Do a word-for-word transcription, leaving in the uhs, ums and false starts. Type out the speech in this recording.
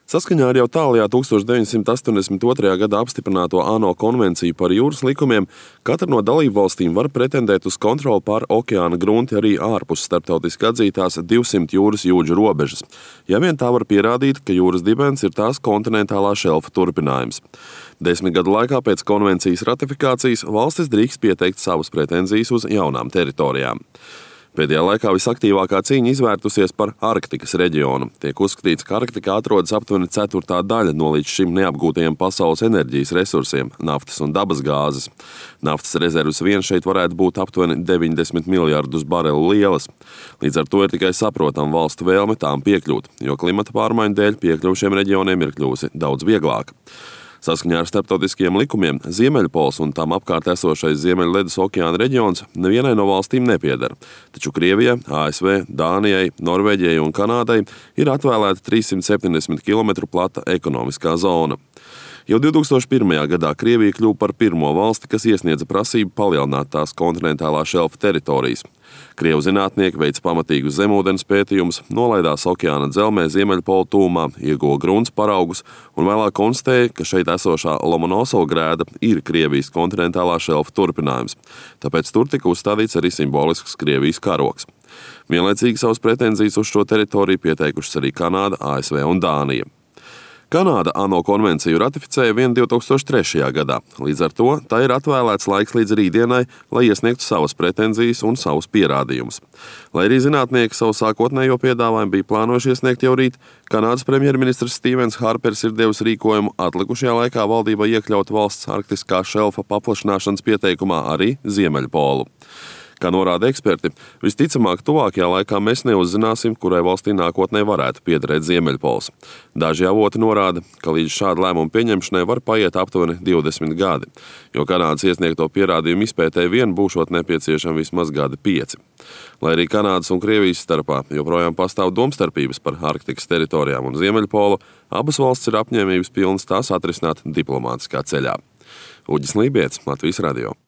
Saskaņā ar jau tālajā tuksstoš deviņsimt astoņdesmit otrajā gadā apstiprināto ANO konvenciju par jūras likumiem, katra no dalībvalstīm var pretendēt uz kontroli pār okeāna grunti arī ārpus starptautiski atzītās divsimt jūras jūdžu robežas, ja vien tā var pierādīt, ka jūras dibens ir tās kontinentālā šelfa turpinājums. Desmit gadu laikā pēc konvencijas ratifikācijas valstis drīkst pieteikt savas pretenzijas uz jaunām teritorijām. Pēdējā laikā visaktīvākā cīņa izvērtusies par Arktikas reģionu. Tiek uzskatīts, ka Arktikā atrodas aptuveni ceturtā daļa no līdz šim neapgūtajiem pasaules enerģijas resursiem – naftas un dabas gāzes. Naftas rezervas vien šeit varētu būt aptuveni deviņdesmit miljardus barelu lielas. Līdz ar to ir tikai saprotam valstu vēlme tām piekļūt, jo klimata pārmaiņu dēļ piekļuva šiem reģioniem ir kļuvusi daudz vieglāka. Saskaņā ar starptautiskiem likumiem Ziemeļpols un tam apkārt esošais Ziemeļledus okeāna reģions nevienai no valstīm nepieder, taču Krievijai, A S V, Dānijai, Norvēģijai un Kanādai ir atvēlēta trīssimt septiņdesmit kilometru plata ekonomiskā zona. Jau divtūkstoš pirmajā gadā Krievija kļuva par pirmo valsti, kas iesniedza prasību palielināt tās kontinentālā šelfa teritorijas. Krievu zinātnieki veica pamatīgus zemūdens pētījumus, nolaidās okeāna dzelmē Ziemeļpola tūmā, ieguva grunts paraugus un vēlāk konstatēja, ka šeit esošā Lomonosovo grēda ir Krievijas kontinentālā šelfa turpinājums. Tāpēc tur tika uzstādīts arī simbolisks Krievijas karogs. Vienlaicīgi savas pretenzijas uz šo teritoriju pieteikušas arī Kanāda, A S V un Dānija. Kanāda ANO konvenciju ratificēja vien divtūkstoš trešajā gadā. Līdz ar to tā ir atvēlēts laiks līdz rītdienai, lai iesniegtu savas pretenzijas un savus pierādījumus. Lai arī zinātnieki savu sākotnējo piedāvājumu bija plānojuši iesniegt jau rīt, Kanādas premjerministrs Stevens Harpers ir devis rīkojumu atlikušajā laikā valdībai iekļaut valsts arktiskā šelfa paplašināšanas pieteikumā arī Ziemeļpolu. Kā norāda eksperti, visticamāk tuvākajā laikā mēs neuzzināsim, kurai valstī nākotnē varētu piederēt Ziemeļpols. Daži avoti norāda, ka līdz šāda lēmuma pieņemšanai var paiet aptuveni divdesmit gadi, jo Kanādas iesniegto pierādījumu izpētēji vien būšot nepieciešami vismaz gadi pieci. Lai arī Kanādas un Krievijas starpā joprojām pastāv domstarpības par Arktikas teritorijām un Ziemeļpolu, abas valsts ir apņēmības pilnas tās atrisināt diplomātiskā ceļā. Uģis Lībietis, Latvijas radio.